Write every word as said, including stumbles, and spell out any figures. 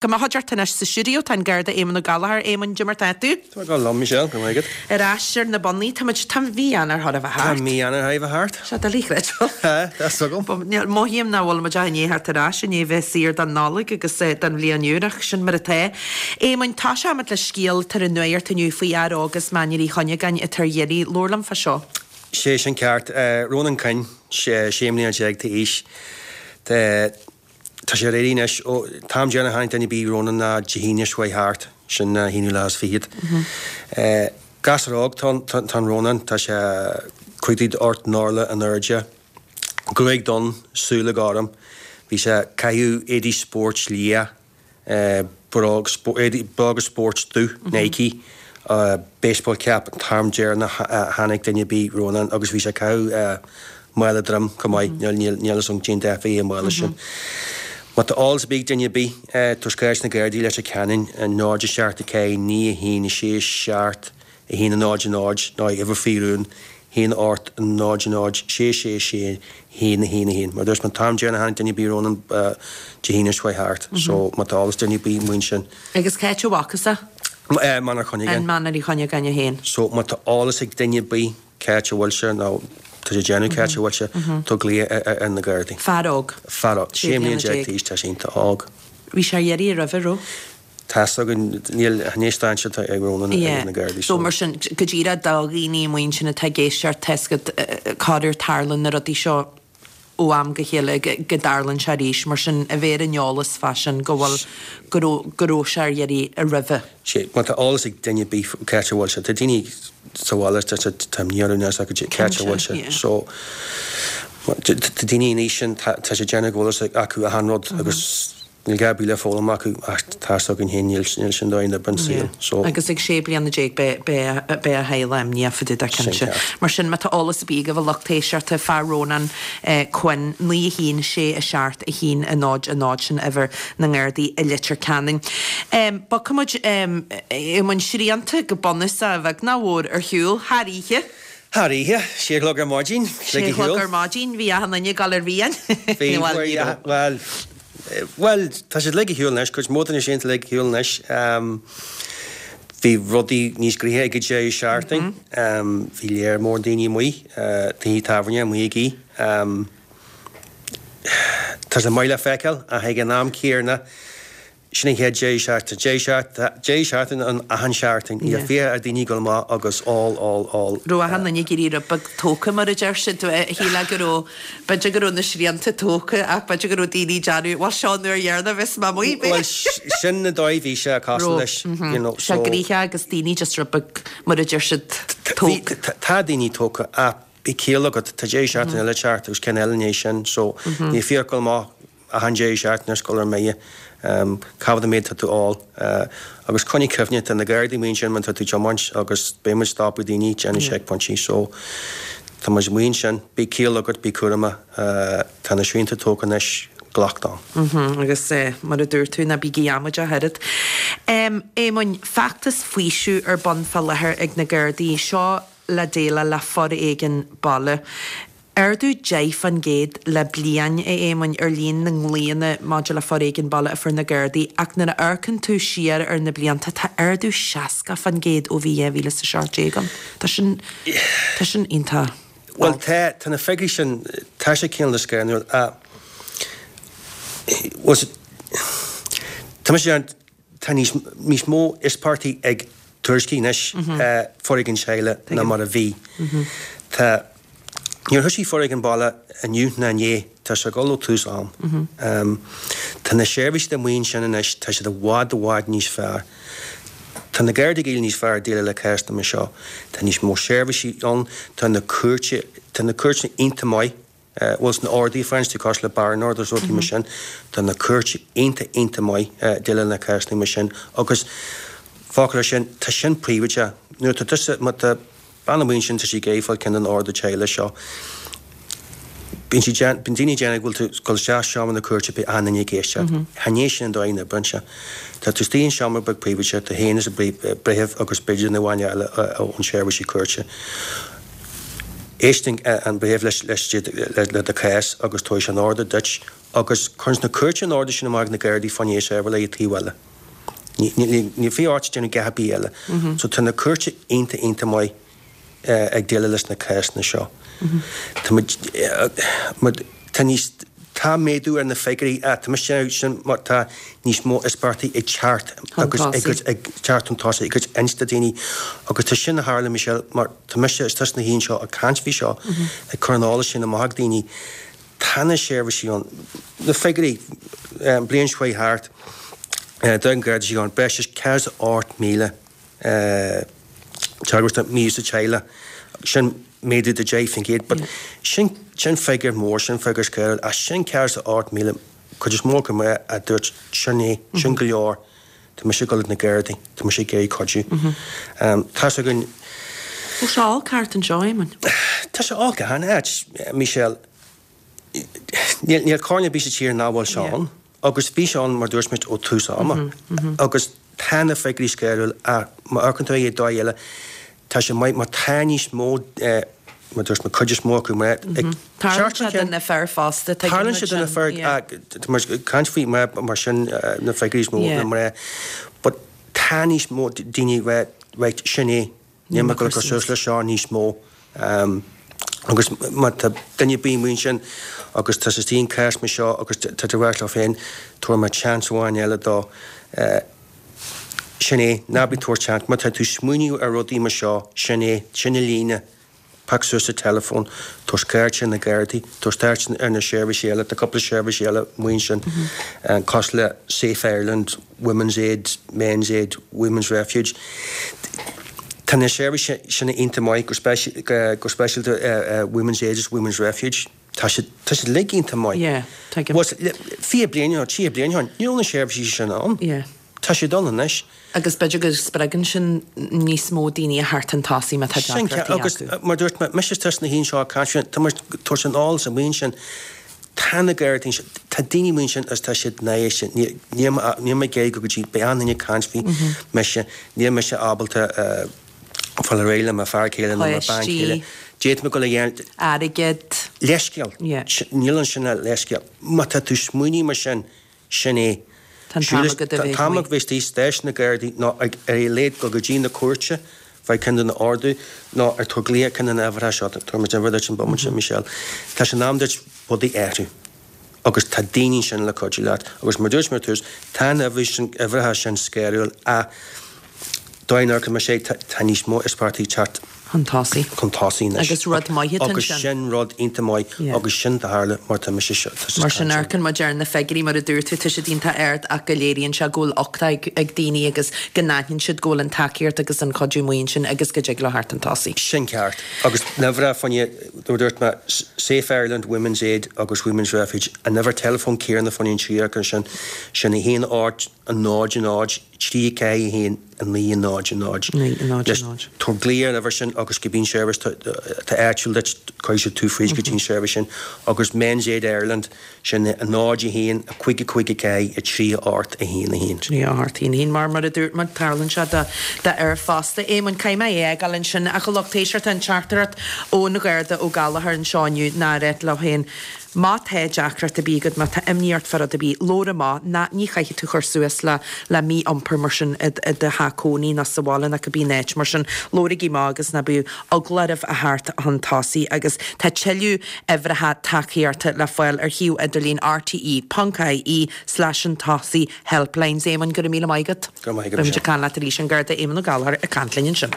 Go mba chuideachta anois sa stiúideo tá an Garda Éamonn Ó Gallchóir. Éamonn, cad é mar tá tú? Tá go liom, Michelle, go maith agat. Ar ais ar na bonnaí, tá muid, tá mí Eanáir chóir a bheith Tá thart. mí Eanáir chóir a bheith thart. Sé doiligh a chreidiúint. Tá, tá 's agam. Mothaím nach bhfuil muid ach i ndiaidh theacht ar ais, i ndiaidh bheith saor don Nollaig agus don bhliain úr ach sin mar atá. Éamonn, toiseoimid le scéal atá ar an nuacht inniu faoi fhear óg as Mainír Uí Chuinneagáin atá ar iarraidh. Labhair liom fá seo. Sé sin ceart. Ronan Quinn, sé mbliana déag d'aois. Tá sé ar iarraidh anois ó an t-am deireanach a chonaic duine ar bith Ronan ná Dé hAoine seo chuaigh thart, sin an haonú lá is fichead. Gasúr óg tá an Ronan, tá sé cúig troigh ocht n-orlach in airde, gruaig donn, súile gorm. Bhí sé ag caitheamh éadaí spóirt liath. Bróga spóirt dubh, Nike, baseball cap an t-am deireanach a chonaic duine ar bith Rónán agus bhí sé ag caitheamh mála droim chomh maith, níl fhios agam cén dath a bhí ar an mála sin. Má tá eolas ar bith ag duine ar bith, tabhairt chuig na Gardaí i Leitir Ceanainn, náid a seacht a ceathair naoi a haon a sé seacht a haon a náid a náid nó uimhir faoi rún, haon ocht náid náid sé sé sé haon a haon a haon. Mar dúirt mé an t-am deireanach a chonaic duine ar bith Rónán Dé hAoine seo chuaigh thart so má tá eolas ag duine ar bith faoin sin. Agus cá háit a bhfacthas é? Mainír Chuinneagáin. In Mainír Uí Chuinneagáin é féin. So má tá eolas ag duine ar bith cá háit a bhfuil sé nó tá sé ag déanamh cá háit a bhfuil sé, tabhair glaoch ar na Gardaí. Fear óg. Fear óg. Sé mbliana déag d'aois, tá sé iontach óg. Bhí sé ar iarraidh roimhe, raibh? Tá's againn, níl, chan é stáitse atá ag Rónán ag na Gardaí so. So mar sin, go díreach do dhaoine amuigh ansin atá ag éisteacht, tá's agat, corruair tarlaíonn na rudaí seo ó am go chéile go dtarlaíonn sé arís, mar sin a bheith ar an eolas fá sin go bhfuil, go raibh, go raibh sé ar iarraidh roimhe. Sé, má tá eolas ag duine ar bith cá háit a bhfuil sé, tá daoine sa bhaile, tá, tá, tá imní orthu níl 's acu cá háit a bhfuil sé, so tá daoine in aois sin, tá, tá sé ag déanamh go bhfuil fhios acu achan rud agus níl gá ar bith le foghlaim acu ach tá's againn féin níl níl sin dóigh na oibre an saol so. Agus ag sé bliana déag beidh beidh beidh a theaghlach imníoch fá dtaobh de Sin cinnte. ceart. Mar sin má tá eolas ar bith agaibh a lucht éisteachta fá Rónán Quinn, naoi a haon sé a seacht a haon a náid a náid sin uimhir na nGardaí i Leitir Ceanainn. Bogfaidh muid i mbun srianta go bunúsach a bheag ná a mhór ar shiúl thar oíche. Thar oíche, sé a chlog ar maidin, Sé lig a a chlog shiúl. ar maidin, bhí achan duine ag dul ar mhian. Bhí, Bhuel, ní raibh. bhuel, bhuel, tá siad ag shiúl anois, cuid mhór de na srianta ag shiúl anois. Bhí rudaí níos gnoithí ag an deireadh seachtaine. Bhí léar mór daoine amuigh, tithe tábhairne amuigh ag oíche. Tá sé maith le feiceáil ach ag an am céanna, Sin an chéad deireadh seachtaine. Deireadh seachtaine, deireadh seachtaine ann achan seachtain. Níl fiacha ar daoine ag dul amach agus ól, ól, ól. Raibh achan duine ag iarraidh rud beag tógtha mar a deir siad. Shílfeá go raibh, b'fhéidir go raibh na srianta tógtha ach b'fhéidir go raibh daoine ag déanamh, bhuel seo an uair dheireanach a bheas mé amuigh, b'fhéidir. Bhuel sin an dóigh a bhí sé cosúil leis, you know, so. Sé gnoitheach agus daoine just rud beag mar a deir siad tógtha. Tá daoine tógtha ach bíodh ciall agat, tá deireadh seachtaine eile ag teacht agus ceann eile i ndiaidh sin so níl fiacha ag dul amach achan deireadh seachtaine ar scoil ar mbeidh, cá fhad an méid atá tú ól agus coinnigh cuimhne, tá na Gardaí amuigh ansin má tá tú ag tiomáint agus beidh muid ag stopadh daoine, déanamh seicphointí so tá muid amuigh ansin, bíodh ciall agat, bí cúramach, tá na srianta tógtha anois, glac dom. Agus mar a dúirt tú, ná bígí amaideach oiread. Éamoinn, feachtas faoisimh ar bun fá láthair ag na Gardaí, seo le déileáil le foréigean baile. Ardú deich fán gcéad le bliain, a Éamoinn, ar líon na nglaonna maidir le foréigean baile a fuair na Gardaí ach nuair a amharcann tú siar ar na blianta tá ardú seasca fán gcéad ó bhí dhá mhíle is a seacht déag ann. Tá sin, tá sin iontach Bhuel tá, tá na figiúirí sin, tá sé cineál scanrúil ach, bhuel, tá mise ag déanamh, tá níos, níos mó íospartaigh ag tuairisciú anois foréigean teaghlaigh ná mar a bhí. Tá. Níor thoisigh foréigean baile inniu ná inné, tá sé ag dul ó tús am. Tá na seirbhísí amuigh ansin anois, tá siad i bhfad i bhfad níos fearr. Tá na Gardaí ag éirí níos fearr ag déileáil le cásanna mar seo. Tá níos mó seirbhísí ann, tá na cúirte, tá na cúirteanna iontach maith, bhuel sna orduithe a faigheann tú cosúil le barring orders rudaí mar sin, tá na cúirte iontach iontach maith ag déileáil le cásanna mar sin agus focal ar sin, tá sin príobháideach. Nuair atá tusa, má tá. Bean amuigh ansin tá sí ag iarraidh fáil ceann den ordú teaghlaigh seo. Bíonn sí déan, bíonn daoine ag déanamh go bhfuil tú ag dul isteach i seomra na cúirte beidh achan duine ag éisteacht. Chan é sin an dóigh a n-oibríonn sé. Tá tú istigh in seomra beag príobháideach, tú féin is an breitheamh agus b'fhéidir duine amháin eile ón seirbhísí cúirte. Éisteann an breitheamh leis leis le do chás agus tabharfaidh sé an ordú duit agus cuireann na cúirte an ordú sin amach ag na Gardaí fá choinne é seirbheáil ag taobh eile. Ní bhí áit déanamh a dhath ar bith eile. So tá na cúirte iontach iontach maith ag déileáil leis na cásanna seo. Tá muid tá níos tá méadú ar na figiúirí tá mise sin mar tá níos mó íospartaigh ag teacht agus ag ag teacht chun tosaigh ag inste daoine agus tá sin a tharla Michelle mar tá mise is tusa na haon seo ag caint faoi seo ag cur an eolais sin amach ag daoine tá na seirbhísí ann na figiúirí an bliain seo chuaigh thart don Gharda Síochána breis is ceathracha is a ocht míle teagmhas de mhí-úsáid teaghlaigh sin méadú de deich faoin gcéad but sin sin figiúr mór sin figiúr scanrúil ach sin ceathracha is a ocht míle cuid is mó acu mná a dúirt sin é sin go leor tá mise ag dul ag na Gardaí tá mise ag iarraidh cuidiú. Tá's againn Bhfuil sé olc thart anseo, Éamonn? Tá sé olc achan áit, Michelle. Níl níl cearn ar bith sa tír nach bhfuil sé ann agus bhí sé ann mar dúirt muid ó tús ama agus tá na figiúirí scanrúil ach má amharcann tú ar dóigh eile tá sé maith má tá níos mó mar dúirt mé cuid is mó acu mná ag Tarlaíonn sé do na fir fosta, tuigeann Tarlaíonn muid sé do na sin, fir yeah. tá muid ag caint faoi mná mar sin na figiúirí is mó Yeah. na mná but tá níos mó daoine right right sin é níl mé ag dul ag cur suas leis seo níos mó agus má tá duine ar bith amuigh ansin agus tá siad istigh in cás mar seo agus tá tú ag rá leo féin tabharfaidh mé chance amháin eile dó sin é, ná bí ag tabhairt chance, má tá tú ag smaoineamh ar rudaí mar seo, sin é, sin an líne, pioc suas an teileafón, tabhair cuairt ar na Gardaí, tabhair cuairt ar na seirbhísí eile, tá cúpla seirbhísí eile amuigh ansin, cosúil le Safe Ireland, Women's Aid, Men's Aid, Women's Refuge. Tá na seirbhísí sin iontach maith, go speisialta Women's Aid is Women's Refuge. Tá siad, tá siad uilig iontach maith. Yeah, tuigim. Was, fiche bliain nó tríocha bliain ó shin, ní raibh na seirbhísí sin ann. Yeah. Tá siad ann anois. Agus b'fhéidir go spreagann sin níos mó daoine a theacht chun tosaigh má tá Sin ceart, deacrachtaí agus acu. mar dúirt mé, mise is tusa na haon seo ag caint faoi, tá muid ag tabhairt an eolas amuigh ansin, tá na Gardaí ansin, tá daoine amuigh ansin agus tá siad náiseach, níl, níl mé, níl mé ag iarraidh go dtí, beidh an-duine ag caint faoi mise, níl mise ábalta fáil ar aghaidh le mo fear céile nó mo bean chéile. Páistí. D'fhéadfadh mé dul a dhéanamh. Airgead. Leithscéal. Yeah. Níl ansin ach leithscéal. Má tá tú ag smaoineamh mar sin, sin é. Tá an t-am agat a bheith Tá an t-am agat bheith istigh i stáisiún na Gardaí nó ar a laghad dul go dtí na cúirte, faigh ceann de na ordú nó ar tabhair glaoch ar ceann de na huimhreacha seo. Tabharfaidh muid uimhir duit an bomaite sin, Michelle. Tá sé in am duit rudaí a athrú. Agus tá daoine ansin le cuidiú leat. Agus mar dúirt mé ar tús, tá na huimhreacha sin scanrúil ach dóigh nár chuir sé, tá níos mó íospartaigh ag teacht chun tosaigh. chun tosaigh anois. Agus rud maith atá Agus ansin. sin rud iontach maith Yeah. agus sin do tharla mar tá mise seo. Tá Mar sin amharcann muid ar na figiúirí mar a dúirt tú, tá siad iontach ard ach go léiríonn sé go bhfuil uchtach ag, ag daoine agus go n-aithníonn siad go bhfuil an tacaíocht agus an cuidiú amuigh ansin agus go dtig leo theacht chun tosaigh. Sin ceart. Agus na uimhreacha fá choinne, dúirt mé, Safe Ireland, Women's Aid agus Women's Refuge, an uimhir teileafóin céanna fá choinne an trí acu sin, sin a haon ocht, a náid a náid, trí ceathair a haon, a naoi a náid a náid. Naoi a náid a náid. Tabhair glaoch ar an uimhir sin agus cibé seirbhís atá áitiúil duit, cuirfidh siad tú fríd go dtí an seirbhís sin. Agus Men's Aid Ireland, sin a náid a haon, a cúig a cúig a ceathair, a trí a ocht, a haon a haon. Trí a ocht a haon a haon. Mar mar a dúirt muid, tarlaíonn sé do fhir fosta. Éamonn, caithfidh mé é a fhágáil ansin ach a lucht éisteachta an teachtaireacht ón Gharda Ó Gallchóir anseo inniu ná a rá leo féin, Má tá deacracht ar bith agat, má tá imní ort fá rud ar bith, labhair amach, ná ní chaithfidh tú cur suas le le mí-iompar mar sin i i do theach cónaí ná sa bhaile ná cibé áit mar sin. Labhraigí amach agus ná bíodh eagla oraibh a theacht chun tosaigh agus tá tuilleadh uimhreacha tacaíochta le fáil ar shuíomh idirlín rte ponc ie slash chun tosaigh helplines. Éamonn, go raibh míle maith agat. Go raibh maith agat, Beimid Michelle. ag caint leat arís, an Garda Éamonn Ó Gallchóir ag caint linn ansin.